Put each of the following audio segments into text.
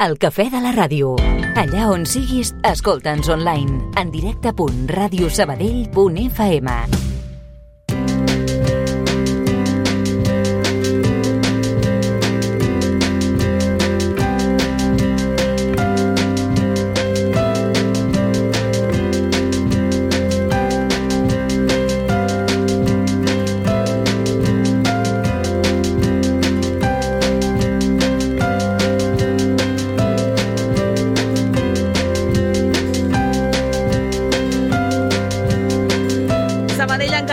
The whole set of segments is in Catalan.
El cafè de la ràdio. Allà on siguis, escolta'ns online. En directe.radiosabadell.fm.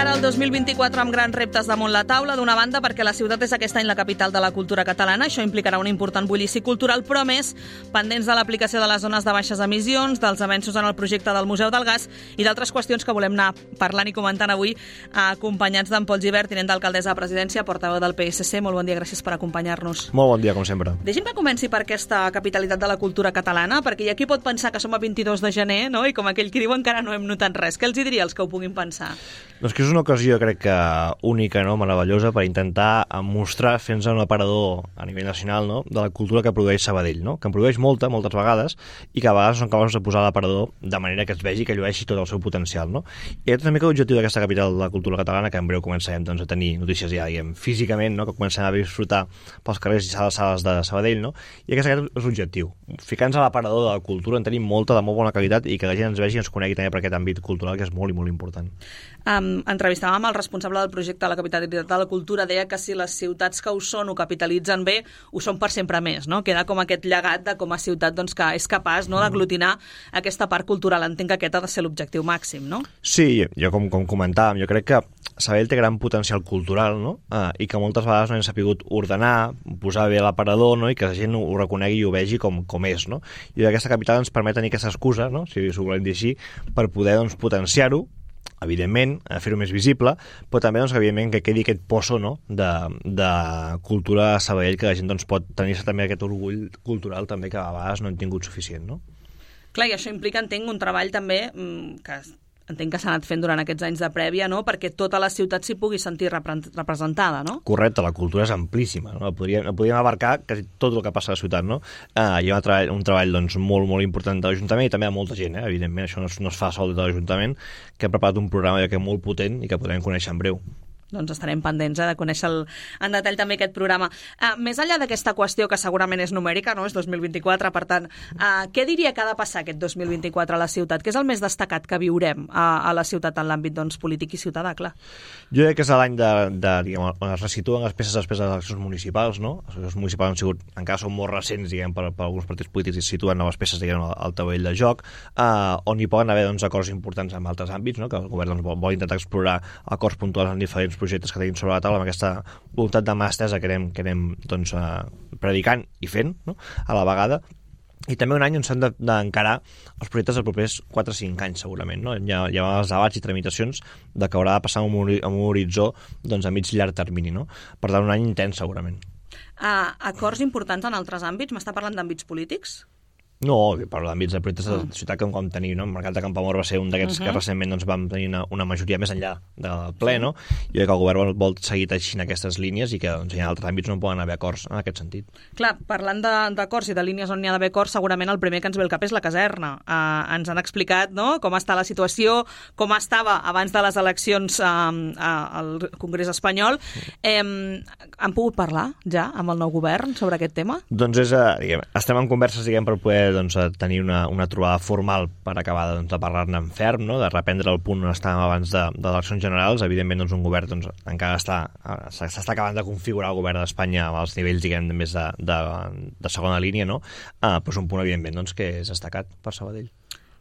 El 2024 amb grans reptes damunt la taula, d'una banda perquè la ciutat és aquest any la capital de la cultura catalana, això implicarà un important bullici cultural, però més pendents de l'aplicació de les zones de baixes emissions, dels avenços en el projecte del Museu del Gas i d'altres qüestions que volem anar parlant i comentant avui, acompanyats d'en Pol Gibert, tinent d'alcaldessa de Presidència, portaveu del PSC. Molt bon dia, gràcies per acompanyar-nos. Molt bon dia, com sempre. Deixi'm que comenci per aquesta capitalitat de la cultura catalana, perquè hi ha qui pot pensar que som a 22 de gener, no? I com aquell qui diu encara no hem notat res. Què els hi diria als que ho puguin pensar? Doncs que és una ocasió, crec que única, no? Meravellosa, per intentar mostrar, fer-nos un aparador a nivell nacional, no? De la cultura que produeix Sabadell, no? Que en produeix moltes vegades, i que a vegades són capaços de posar l'aparador de manera que es vegi, que llueixi tot el seu potencial, no? I aquest és una mica l'objectiu d'aquesta capital de la cultura catalana, que en breu començarem doncs, a tenir notícies ja, diguem, físicament, no? Que comencem a disfrutar pels carrers i sales de Sabadell, no? I aquest és l'objectiu. Ficar-nos a l'aparador de la cultura, en tenim molta, de molt bona qualitat, i que la gent ens vegi i ens conegui també per aquest àmbit cultural, que és molt i molt important. Entrevistàvem el responsable del projecte de la capitalitat de la cultura, deia que si les ciutats que ho són ho capitalitzen bé, ho són per sempre més, no? Queda com aquest llegat de com a ciutat doncs, que és capaç, no, d'aglutinar aquesta part cultural. Entenc que aquest ha de ser l'objectiu màxim, no? Sí, jo com comentàvem, jo crec que Sabadell té gran potencial cultural, no? I que moltes vegades no hem sabut ordenar, posar bé l'aparador, no? I que la gent ho reconegui i ho vegi com és, no? I aquesta capital ens permet tenir aquesta excusa, no? Si ho volem dir així, per poder doncs, potenciar-ho, evidentment, fer-ho més visible, però també doncs, evidentment que quedi aquest poso, no? de cultura a Sabadell, que la gent doncs, pot tenir també aquest orgull cultural també que a vegades no hem tingut suficient, no? Clar, i això implica, entenc, un treball també que entenc que s'ha anat fent durant aquests anys de prèvia, no? Perquè tota la ciutat s'hi pugui sentir representada, no? Correcte, la cultura és amplíssima, no? Podríem abarcar quasi tot el que passa a la ciutat, no? Hi ha un treball doncs, molt, molt important de l'Ajuntament i també de molta gent, evidentment, això no es fa sol de l'Ajuntament, que ha preparat un programa que molt potent i que podrem conèixer en breu. Doncs estarem pendents de conèixer en detall també aquest programa. Més enllà d'aquesta qüestió, que segurament és numèrica, no? És 2024, per tant, què diria que ha de passar aquest 2024 a la ciutat? Què és el més destacat que viurem a la ciutat en l'àmbit doncs, polític i ciutadà, clar? Jo crec que és l'any diguem, on es resituen les peces després de les eleccions municipals, no? Les eleccions municipals han sigut, encara són molt recents, diguem, per alguns partits polítics i situen noves peces, diguem, al taulell de joc, on hi poden haver doncs, acords importants en altres àmbits, no? Que el govern doncs, vol intentar explorar acords puntuals en diferents projectes que tenim sobre la taula, amb aquesta voluntat de mà estesa que anem doncs, predicant i fent, no? A la vegada. I també un any on s'han d'encarar els projectes dels propers 4 o 5 anys, segurament, no? Hi ha els debats i tramitacions de que haurà de passar amb un horitzó doncs, a mig i llarg termini, no? Per tant, un any intens, segurament. Acords importants en altres àmbits? M'està parlant d'àmbits polítics? No, per l'àmbits de projectes de ciutat que vam tenir, no? El Mercat de Campoamor va ser un d'aquests que recentment doncs, vam tenir una majoria més enllà del ple, no? Jo crec que el govern vol seguir teixint aquestes línies i que doncs, hi ha altres àmbits on poden haver acords en aquest sentit. Clar, parlant d'acords i de línies on hi ha d'haver acords, segurament el primer que ens ve al cap és la caserna. Ens han explicat, no?, com està la situació, com estava abans de les eleccions al Congrés espanyol. Han pogut parlar ja amb el nou govern sobre aquest tema? Doncs estem en converses, per poder doncs, tenir una trobada formal per acabar doncs, de parlar-ne en ferm, no? De reprendre el punt on estàvem abans de eleccions generals. Evidentment, doncs, un govern doncs, encara s'està acabant de configurar el govern d'Espanya als nivells, diguem, més de segona línia, no? Però és un punt, evidentment, doncs, que és destacat per Sabadell.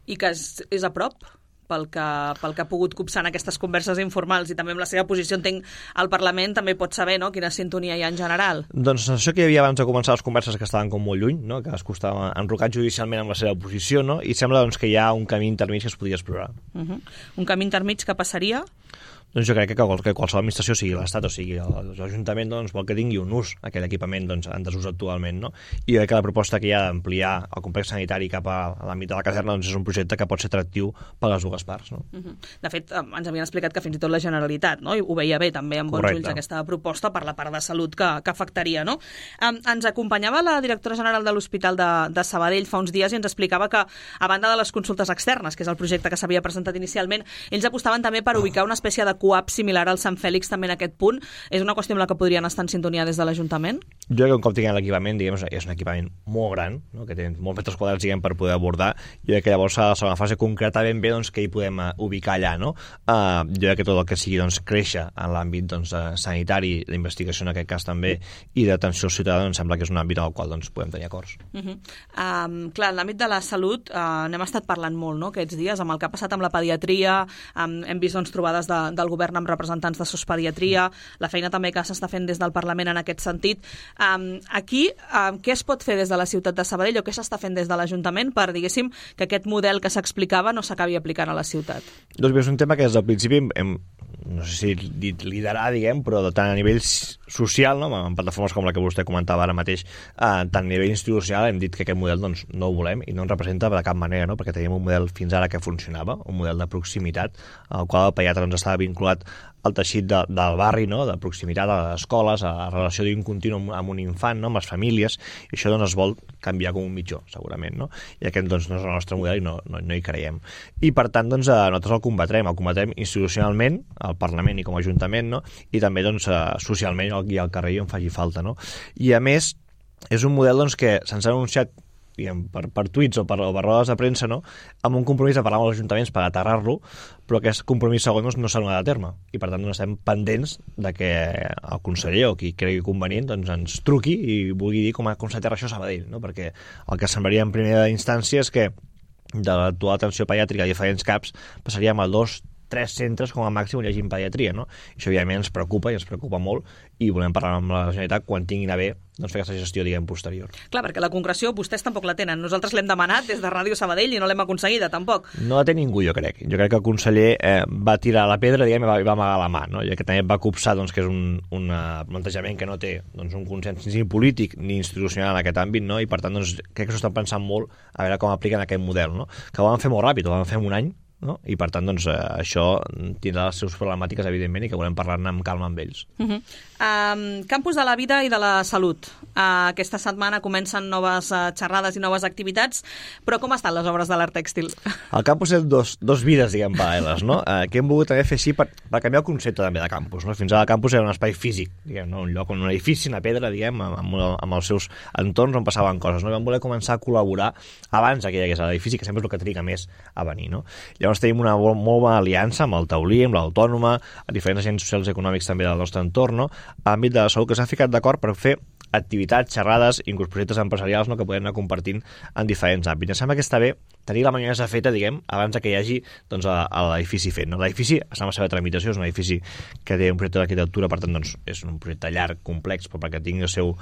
I que és a prop? Pel que ha pogut copsar en aquestes converses informals i també amb la seva posició, entenc, al Parlament també pot saber, no?, quina sintonia hi ha en general. Doncs això que hi havia abans de començar les converses que estaven com molt lluny, no?, que es costava enrocat judicialment amb la seva posició, no?, i sembla doncs, que hi ha un camí intermig que es podria explorar. Un camí intermig que passaria? Doncs jo crec que qualsevol administració, sigui l'Estat o sigui l'Ajuntament, doncs vol que tingui un ús aquell equipament en desús actualment, no? I jo crec que la proposta que hi ha d'ampliar el complex sanitari cap a l'àmbit de la caserna doncs és un projecte que pot ser atractiu per a les dues parts, no? De fet, ens havien explicat que fins i tot la Generalitat, no? I ho veia bé també amb bons ulls aquesta proposta per la part de salut que afectaria, no? Ens acompanyava la directora general de l'Hospital de Sabadell fa uns dies i ens explicava que, a banda de les consultes externes, que és el projecte que s'havia presentat inicialment, ells apostaven també per ubicar una espècie de coap similar al Sant Fèlix també en aquest punt. És una qüestió amb la que podrien estar en sintonia des de l'Ajuntament? Jo crec que un cop tinguem l'equipament, diguem, és un equipament molt gran, no? Que té molts metres quadrats, diguem, per poder abordar. Jo crec que llavors a la segona fase concretar ben bé doncs, que hi podem ubicar allà, no? Jo crec que tot el que sigui doncs, créixer en l'àmbit doncs, sanitari, d'investigació en aquest cas també, i d'atenció al ciutadà, em sembla que és un àmbit en el qual doncs, podem tenir acords. Clar, en l'àmbit de la salut n'hem estat parlant molt, no?, aquests dies, amb el que ha passat amb la pediatria, hem vist doncs, trobades del govern amb representants de sospediatria, la feina també que s'està fent des del Parlament en aquest sentit. Aquí, què es pot fer des de la ciutat de Sabadell o què s'està fent des de l'Ajuntament per, diguéssim, que aquest model que s'explicava no s'acabi aplicant a la ciutat? Doncs bé, és un tema que des del principi no sé si dit liderar, diguem, però tant a nivell social, no? En plataformes com la que vostè comentava ara mateix, tant a nivell institucional hem dit que aquest model doncs, no ho volem i no ens representa de cap manera, no? Perquè teníem un model fins ara que funcionava, un model de proximitat, al qual el pediatre doncs, estava vinculat al teixit del barri, no? De proximitat a les escoles, a la relació d'un continu amb un infant, no? Amb les famílies, i això doncs, es vol canviar com un mitjó, segurament, no? I aquest doncs, no és el nostre model i no hi creiem. I per tant, doncs, nosaltres el combatrem institucionalment, al Parlament i com a Ajuntament, no? I també doncs, socialment i al carrer on faci falta, no? I a més, és un model doncs, que se'ns ha anunciat diguem, per tuits o per rodes de premsa, no? Amb un compromís de parlar amb els ajuntaments per aterrar-lo, però aquest compromís segons no s'ha donat a terme. I per tant doncs, estem pendents de que el conseller o qui cregui convenient doncs, ens truqui i vulgui dir com s'aterra això a Sabadell, no? Perquè el que semblaria en primera instància és que de l'actual atenció pediàtrica a diferents CAPs passaríem a 2-3 centres com a màxim on hi hagi pediatria, no? I això evidentment ens preocupa i ens preocupa molt i volem parlar amb la Generalitat quan tinguin a bé doncs, fer aquesta gestió, diguem, posterior. Clar, perquè la concreció vostès tampoc la tenen. Nosaltres l'hem demanat des de Ràdio Sabadell i no l'hem aconseguida, tampoc. No la té ningú, jo crec. Jo crec que el conseller va tirar la pedra, diguem, i va amagar la mà, no? I que també va copsar, doncs, que és un plantejament que no té doncs, un consens ni polític ni institucional en aquest àmbit, no? I per tant, doncs, crec que s'ho estan pensant molt a veure com apliquen aquest model, no? Que ho van fer molt ràpid, ho van fer en un any, no? I per tant doncs, això tindrà les seves problemàtiques evidentment i que volem parlar-ne amb calma amb ells. Campus de la vida i de la salut. Aquesta setmana comencen noves xerrades i noves activitats, però com estan les obres de l'art tèxtil? El campus és dos vides, diguem, paral·leles, no? Que hem volgut també fer així per canviar el concepte també de campus, no? Fins ara el campus era un espai físic, diguem, no? Un lloc on un edifici, una pedra, diguem, amb els seus entorns on passaven coses, no? I vam voler començar a col·laborar abans que hi hagués l'edifici, que sempre és el que triga més a venir, no? Llavors tenim una molt bona aliança amb el Taulí, amb l'Autònoma, a diferents agents socials i econòmics també del nostre entorn, no? A l'àmbit de la salut, que s'han ficat d'acord per fer activitats, xerrades, inclús projectes empresarials, no? Que podem anar compartint en diferents àmbits. Em sembla que està bé tenir la manera feta, diguem, abans que hi hagi doncs, l'edifici fet. No? L'edifici està en la seva tramitació, és un edifici que té un projecte d'arquitectura, per tant, doncs, és un projecte llarg, complex, però perquè tingui el seu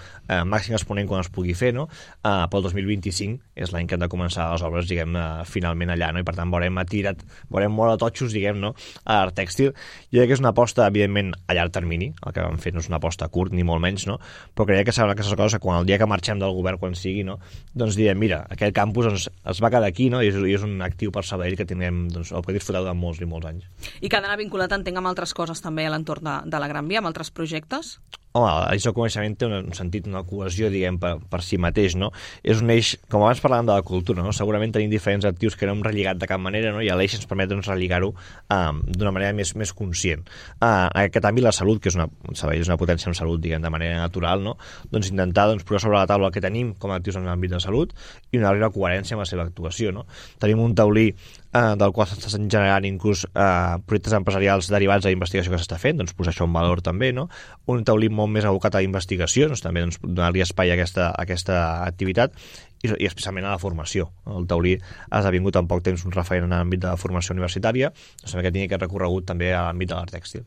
màxim exponent quan es pugui fer, no? Pel 2025 és l'any que han de començar les obres, diguem, finalment allà, no? I per tant veurem molt a totxos, diguem, no? A l'art tèxtil. Jo crec que és una aposta, evidentment, a llarg termini, el que vam fer no és una aposta a curt, ni molt menys, no? Però crec que serà aquestes coses que quan el dia que marxem del govern, quan sigui, no? Doncs direm, mira, aquest campus doncs, es va quedar aquí, no? I és un actiu per Sabadell que tindrem, doncs, el que disfrutar durant molts i molts anys. I que ha d'anar vinculat, entenc, amb altres coses també a l'entorn de la Gran Via, amb altres projectes? Home, l'eix del coneixement té un sentit, una cohesió, diguem, per si mateix, no? És un eix, com abans parlàvem de la cultura, no? Segurament tenim diferents actius que no hem relligat de cap manera, no? I l'eix ens permet doncs, relligar-ho d'una manera més conscient. En aquest àmbit, la salut, que és una potència en salut, diguem, de manera natural, no? Doncs intentar posar sobre la taula el que tenim com a actius en l'àmbit de salut i una altra coherència amb la seva actuació, no? Tenim un taulí del qual s'estan generant inclús projectes empresarials derivats de la investigació que s'està fent, doncs posar això en valor també, no? Un taulí molt més abocat a la investigació, doncs també donar-li espai a aquesta activitat, i especialment a la formació. El taurí ha esdevingut en poc temps un referent en l'àmbit de la formació universitària, doncs que tingui aquest recorregut també a l'àmbit de l'art tèxtil.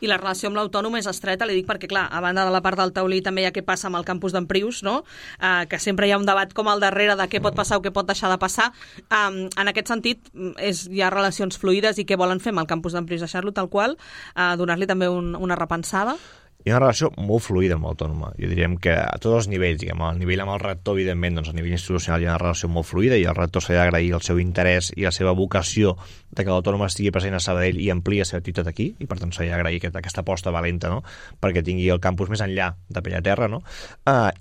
I la relació amb l'autònom és estreta, li dic perquè, clar, a banda de la part del taulí també hi ha què passa amb el campus d'Emprius, no? Que sempre hi ha un debat com al darrere de què pot passar o què pot deixar de passar. En aquest sentit, hi ha relacions fluides i què volen fer amb el campus d'Emprius? Deixar-lo tal qual, donar-li també una repensada? Hi ha una relació molt fluida amb l'autònoma. Jo diríem que a tots els nivells, diguem, al nivell amb el rector, evidentment, doncs a nivell institucional hi ha una relació molt fluida i el rector s'ha d'agrair el seu interès i la seva vocació de que l'autònoma estigui present a Sabadell i amplia la seva activitat aquí, i per tant s'ha d'agrair aquesta aposta valenta, no?, perquè tingui el campus més enllà de Pellaterra, no?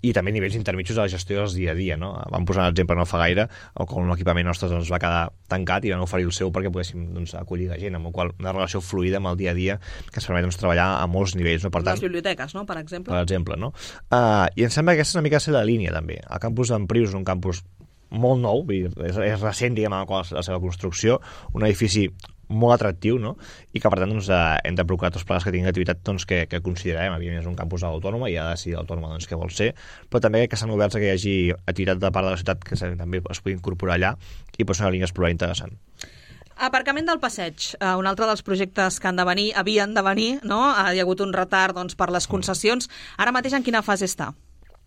I també nivells intermitjos de la gestió dels dia a dia, no? Vam posar un exemple no fa gaire, com l'equipament nostre doncs, va quedar tancat i van oferir el seu perquè poguéssim doncs, acollir la gent, amb la qual una relació fluida amb el dia a dia que ens permet doncs, treballar a molts nivells, no? Per tant, biblioteques, no?, per exemple. Per exemple, no? I em sembla que aquesta és una mica la línia, també. El campus d'Emprius és un campus molt nou, és recent, diguem, amb la seva construcció, un edifici molt atractiu, no? I que, per tant, doncs, hem de procurar tots plegats que tinguin activitat doncs, que considerem. Evidentment, és un campus autònoma i ha de decidir l'autònoma doncs, què vol ser, però també que s'han obert que hi hagi activitat de part de la ciutat que també es pugui incorporar allà i pot ser una línia d'explorar interessant. Aparcament del Passeig, un altre dels projectes que havien de venir, no? Hi ha hagut un retard doncs, per les concessions. Ara mateix en quina fase està?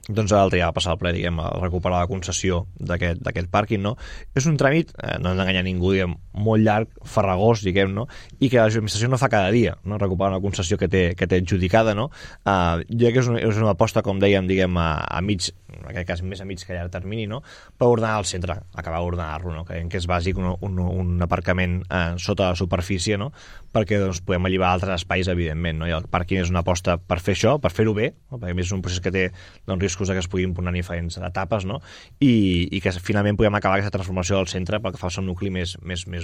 Doncs l'altre ja va passar al ple, diguem, a recuperar la concessió d'aquest pàrquing, no? És un tràmit, no hem d'enganyar ningú, diguem, molt llarg, farragós, diguem, no? I que l'administració no fa cada dia, no? Recuperar una concessió que té adjudicada, no? Jo crec que és una aposta, com dèiem, diguem, a mig, en aquest cas més a mig que a llarg termini, no? Per ordenar el centre, acabar d'ordenar-lo, no? Creiem que és bàsic un aparcament sota la superfície, no? Perquè doncs, podem alliberar altres espais, evidentment, no? I el pàrquing és una aposta per fer això, per fer-ho bé, no? Perquè a més és un procés que té doncs, riscos que es puguin posar en diferents etapes, no? I que finalment podem acabar aquesta transformació del centre pel que fa al seu nucli més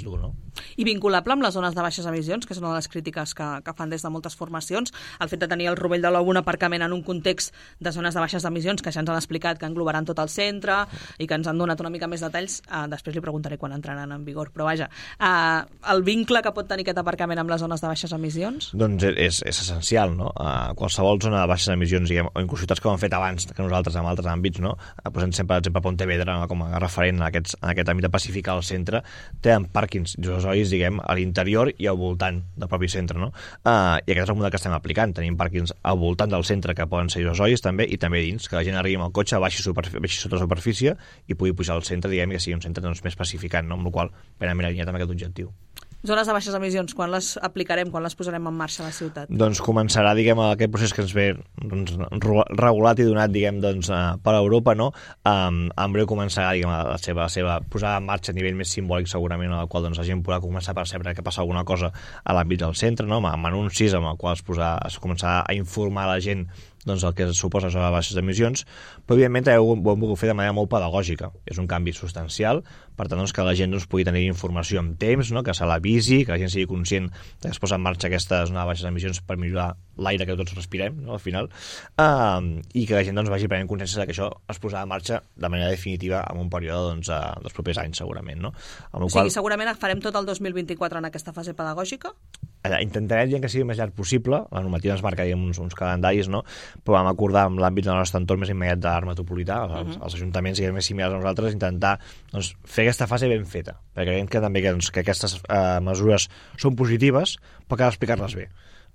dur, no? I vinculable amb les zones de baixes emissions, que és una de les crítiques que fan des de moltes formacions, el fet de tenir el Rovell de l'Ou un aparcament en un context de zones de baixes emissions, que ja ens han explicat que englobaran tot el centre i que ens han donat una mica més detalls, després li preguntaré quan entraran en vigor, però vaja, el vincle que pot tenir aquest aparcament amb les zones de baixes emissions? Doncs és essencial, no? Qualsevol zona de baixes emissions, diguem, o inclús ciutats que ho han fet abans que nosaltres en altres àmbits, no? Posem sempre, per exemple, Pontevedra, no? Com a referent en aquest àmbit de pacificar el centre, tenen pàrquings isosois, diguem, a l'interior i al voltant del propi centre, no? I aquest és el model que estem aplicant. Tenim pàrquings al voltant del centre que poden ser isosois també, i també dins, que la gent arribi amb el cotxe, baixi sota superfície i pugui pujar al centre, diguem, que sigui un centre doncs, més pacificant, no? Amb la qual cosa plenament alineat amb aquest objectiu. Zones de baixes emissions, quan les aplicarem, quan les posarem en marxa a la ciutat? Doncs començarà, diguem, aquest procés que ens ve doncs, regulat i donat, diguem, doncs, per Europa, no? En breu començarà, diguem, la seva posada en marxa a nivell més simbòlic, segurament, en el qual doncs, la gent podrà començar a percebre que passa alguna cosa a l'àmbit del centre, no? Amb anuncis amb el qual es començarà a informar la gent doncs el que suposa les baixes emissions, però evidentment també ho hem volgut fer de manera molt pedagògica. És un canvi substancial, per tant doncs, que la gent doncs, pugui tenir informació en temps, no? Que se l'avisi, que la gent sigui conscient que es posa en marxa aquesta zona de baixes emissions per millorar l'aire que tots respirem, no? Al final, i que la gent doncs, vagi prenent consciència que això es posarà en marxa de manera definitiva en un període doncs, dels propers anys, segurament. No? O sigui, segurament farem tot el 2024 en aquesta fase pedagògica? Intentarem que sigui el més llarg possible. La normativa ens marca uns calendaris, no? Però vam acordar amb l'àmbit del nostre entorn més immediat de l'art metropolità, els ajuntaments més similars a nosaltres, intentar doncs, fer aquesta fase ben feta, perquè creiem que també que aquestes mesures són positives, però cal explicar-les bé.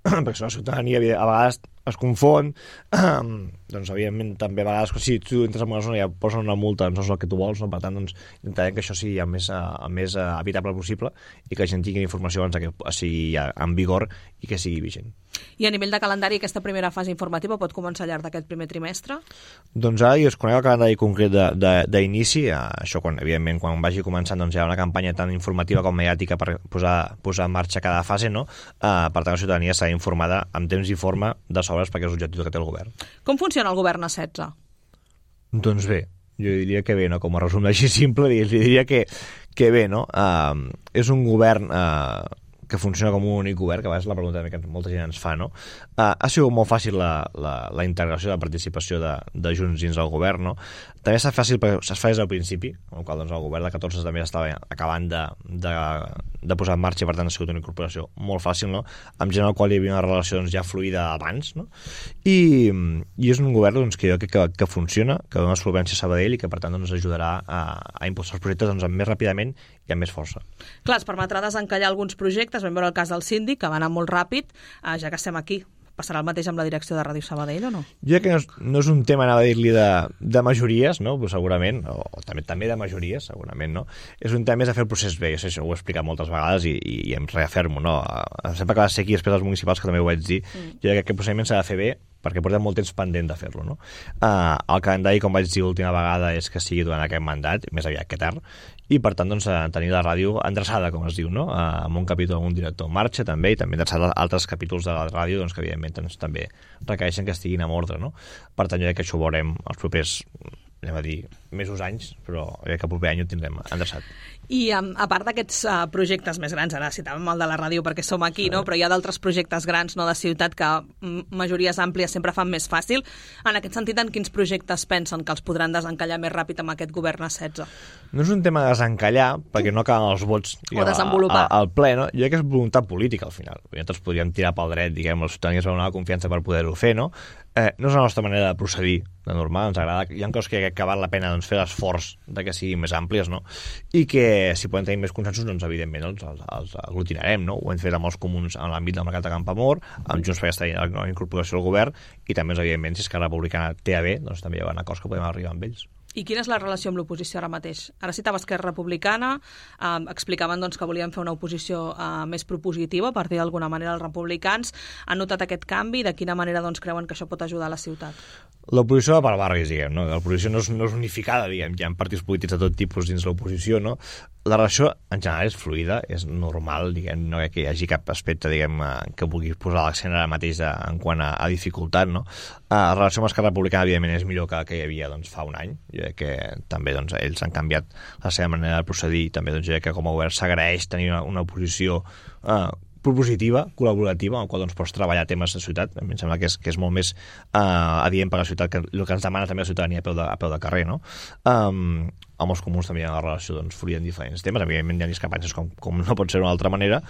Perquè la ciutadania a vegades es confon, doncs evidentment també a vegades si tu entres en una zona i ja posen una multa doncs no és el que tu vols, no? Per tant doncs intentarem que això sigui el més evitable possible i que la gent tingui informació abans que sigui en vigor i que sigui vigent. I a nivell de calendari, aquesta primera fase informativa pot començar al llarg d'aquest primer trimestre? Doncs ara jo es conec el calendari concret d'inici, això evidentment quan vagi començant doncs hi ha una campanya tan informativa com mediàtica per posar en marxa cada fase, no? Per tant la ciutadania serà informada en temps i forma de sobres perquè és l'objectiu que té el govern. Com funciona el govern a 16? Doncs bé, jo diria que bé, no? Com a resum així simple, diria que bé, no? És un govern que funciona com un únic govern, que a vegades la pregunta que molta gent ens fa, no? Ha sigut molt fàcil la integració, la participació de Junts dins el govern, no? També s'ha fàcil perquè es fa des del principi, amb el qual doncs, el govern de 14 també estava acabant de posar en marxa, i per tant ha sigut una incorporació molt fàcil, no? Amb gent amb el qual hi havia una relació doncs, ja fluida abans, no? I és un govern doncs, que jo crec que funciona, que dona solvència a Sabadell i que per tant doncs, ajudarà a impulsar els projectes doncs, més ràpidament i amb més força. Clar, es permetrà desencallar alguns projectes, vam veure el cas del síndic, que va anar molt ràpid, ja que estem aquí. Passarà el mateix amb la direcció de Ràdio Sabadell o no? Jo crec que no és un tema, anava a dir-li, de majories, no? Però segurament, o també de majories, segurament, no? És un tema més de fer el procés bé, això ho he explicat moltes vegades i em reafirmo, no? Sempre que vas ser aquí després dels municipals, que també ho vaig dir, jo crec que el procediment s'ha de fer bé perquè portem molt temps pendent de fer-lo, no? El calendari, com vaig dir l'última vegada, és que sigui durant aquest mandat, més aviat que tard, i per tant doncs, tenir la ràdio endreçada, com es diu, no? Amb un capítol amb un director en marxa també, i també endreçada altres capítols de la ràdio doncs, que evidentment doncs, també requereixen que estiguin en ordre, no? Per tant jo crec que això ho veurem els propers, anem a dir, mesos, anys, però crec que el proper any ho tindrem endreçat. I a part d'aquests projectes més grans, ara citàvem el de la ràdio perquè som aquí, no? Però hi ha d'altres projectes grans, no, de ciutat que majories àmplies sempre fan més fàcil. En aquest sentit, en quins projectes pensen que els podran desencallar més ràpid amb aquest govern a 16? No és un tema de desencallar, perquè no acaben els vots o desenvolupar. Al ple, no? Jo crec que és voluntat política, al final. Nosaltres podríem tirar pel dret, diguem, la ciutadania es va donar la confiança per poder-ho fer, no? No és la nostra manera de procedir, de normal, ens agrada. Hi ha coses que val la pena doncs, fer l'esforç de que siguin més àmplies, no? I que si podem tenir més consensos, doncs evidentment els aglutinarem, no? Ho hem fet amb els comuns en l'àmbit del mercat de Campoamor, amb Junts per aquesta incorporació al govern, i també, evidentment, si Esquerra Republicana té a bé, doncs també hi haurà acords que podem arribar amb ells. I quina és la relació amb l'oposició ara mateix? Ara citava Esquerra Republicana, explicaven doncs, que volien fer una oposició més propositiva, per dir d'alguna manera els republicans. Han notat aquest canvi? De quina manera doncs, creuen que això pot ajudar a la ciutat? L'oposició va per barris, diguem, no? L'oposició no és unificada, diguem, hi ha partits polítics de tot tipus dins l'oposició, no? La relació, en general, és fluida, és normal, diguem, no que hi hagi cap aspecte, diguem, que vulgui posar l'accent ara mateix en quant a dificultat, no? La relació amb Esquerra Republicana, evidentment, és millor que la que hi havia doncs, fa un any. Jo crec que també doncs, ells han canviat la seva manera de procedir i també doncs, jo crec que com a govern s'agraeix tenir una oposició propositiva, col·laborativa, en la qual doncs, pots treballar temes de ciutat. A mi em sembla que és molt més adient per la ciutat que el que ens demana també la ciutadania a peu de carrer, no? Amb els comuns també hi ha una relació doncs, fluida en diferents temes, evidentment hi ha discrepàncies com no pot ser d'una altra manera,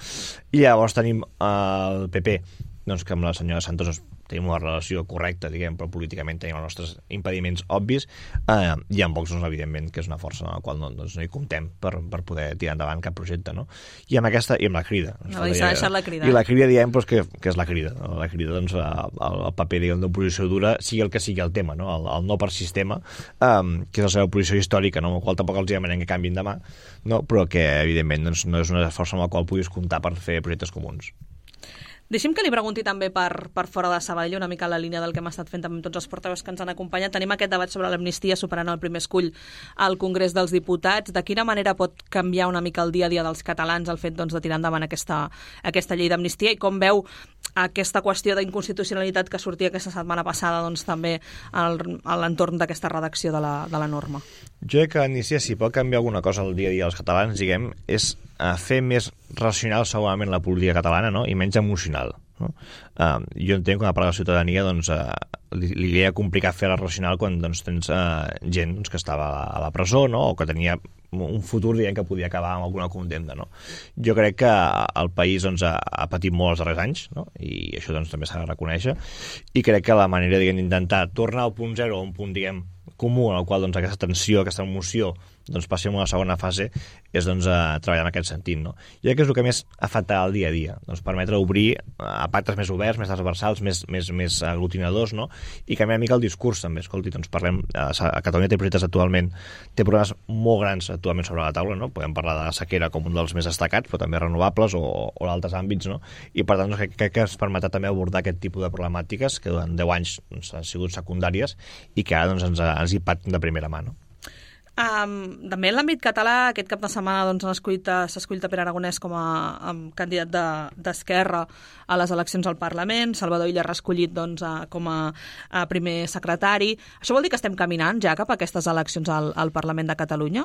i llavors tenim el PP, doncs, que amb la senyora Santos doncs, tenim una relació correcta, diguem, però políticament tenim els nostres impediments obvis, i amb Vox, doncs, evidentment, que és una força en la qual no hi comptem per poder tirar endavant cap projecte, no? I amb aquesta, i amb la Crida. No, s'ha deixat la Crida. I la Crida, diem, doncs, que és la Crida. La Crida, doncs, el paper, diguem, d'oposició dura, sigui el que sigui el tema, no? El no per sistema, que és la seva oposició històrica, no? Amb la qual tampoc els demanem que canviïn demà, no? Però que, evidentment, doncs, no és una força amb la qual puguis comptar per fer projectes comuns. Deixi'm que li pregunti també per fora de Sabadell, una mica la línia del que hem estat fent també amb tots els portaveus que ens han acompanyat. Tenim aquest debat sobre l'amnistia superant el primer escull al Congrés dels Diputats. De quina manera pot canviar una mica el dia a dia dels catalans el fet doncs, de tirar endavant aquesta llei d'amnistia, i com veu aquesta qüestió d'inconstitucionalitat que sortia aquesta setmana passada doncs, també a l'entorn d'aquesta redacció de la norma? Jo crec que l'amnistia, si pot canviar alguna cosa al dia a dia dels catalans, diguem, és fer més racional segurament la política catalana, no? I menys emocional, no? Jo entenc que una part de la ciutadania doncs, li era complicat fer-la racional quan doncs, tens gent doncs, que estava a la presó, no? O que tenia un futur, diguem, que podia acabar amb alguna condemna, no? Jo crec que el país doncs, ha patit molt els darrers anys, no? I això doncs, també s'ha de reconèixer, i crec que la manera d'intentar tornar al punt zero, a un punt, diguem, comú, en el qual doncs, aquesta tensió, aquesta emoció doncs, passi a una segona fase, és doncs, treballar en aquest sentit, no? Jo crec que és el que més afecta el dia a dia, doncs, permetre obrir a pactes més oberts, més transversals, més aglutinadors, no? I canviar una mica el discurs també. Escolti, doncs parlem, a Catalunya té projectes actualment, té problemes molt grans actualment sobre la taula, no? Podem parlar de la sequera com un dels més destacats, però també renovables o d'altres àmbits, no? I per tant doncs, crec que ens permetrà també abordar aquest tipus de problemàtiques que durant 10 anys doncs, han sigut secundàries i que ara doncs, ens impacten de primera mà, no? També en l'àmbit català, aquest cap de setmana s'ha escollit a Pere Aragonès com a candidat d'Esquerra a les eleccions al Parlament. Salvador Illa reescollit com a primer secretari. Això vol dir que estem caminant ja cap a aquestes eleccions al Parlament de Catalunya?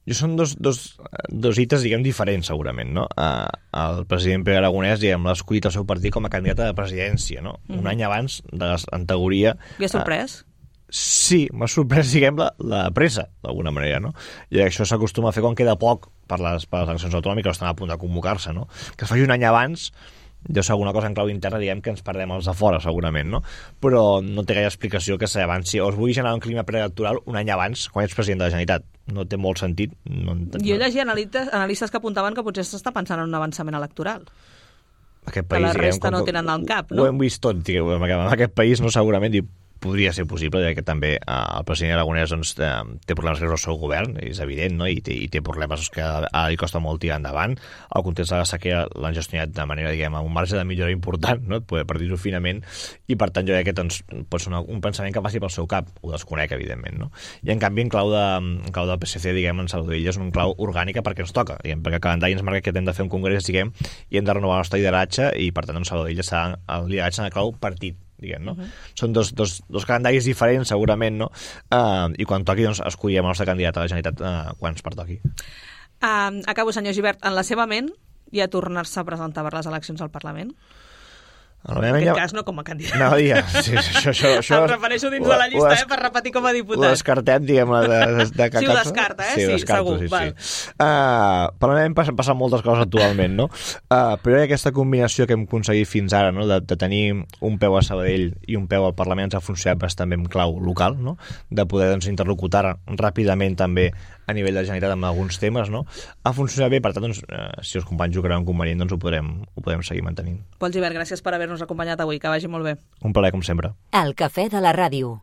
Són dos hites, diferents, segurament, no? El president Pere Aragonès, l'ha escollit el seu partit com a candidat a la presidència, no? Un any abans, en teoria... I ha sorprès? Sí, m'ha sorprès, la pressa, d'alguna manera, no? I això s'acostuma a fer quan queda poc per les eleccions autonòmiques, estan a punt de convocar-se, no? Que es faci un any abans, deu ser alguna cosa en clau interna, que ens perdem els de fora, segurament, no? Però no té gaire explicació que s'avanci, o es vulgui generar un clima preelectoral un any abans, quan ets president de la Generalitat. No té molt sentit. Jo llegia analistes que apuntaven que potser s'està pensant en un avançament electoral. Aquest país, que la resta no tenen al cap, no? Ho hem vist tot, en aquest país, no, segurament, podria ser possible, ja que també el president Aragonès té problemes greus al seu govern, és evident, no? I té problemes que ara li costa molt tirar endavant. El context de la sequera l'han gestionat de manera, amb un marge de millora important, no? Per dir-ho finament, i per tant jo crec que pot ser un pensament que passi pel seu cap, ho desconec, evidentment, no? I en canvi, en clau del PSC, en Salvador Illa, és un clau orgànica perquè ens toca, perquè el calendari ens marca que hem de fer un congrés, i hem de renovar el nostre lideratge, i per tant, Salvador Illa serà el lideratge en el clau partit, no? Són dos calendaris diferents, segurament, no? I quan toqui, escollirem el nostre candidat a la Generalitat quan ens pertoqui. Acabo, senyor Gibert. En la seva ment hi ha tornar-se a presentar per les eleccions al Parlament? En aquest cas no com a candidat. No, sí, això em refereixo dins de la llista, per repetir com a diputat. Ho descartem, sí, ho descarta, sí, ho descarto, segur. Sí. Per mi hem passat moltes coses actualment, no? Però aquesta combinació que hem aconseguit fins ara, no? de tenir un peu a Sabadell i un peu al Parlament, ens ha funcionat bastant bé en clau local, no? De poder interlocutar ràpidament també a nivell de Generalitat amb alguns temes, no? Ha funcionat bé, per tant, si els companys ho creuen convenient, ho podrem seguir mantenint. Pol Gibert, gràcies per haver-nos acompanyat avui, que vagi molt bé. Un plaer, com sempre. El cafè de la ràdio.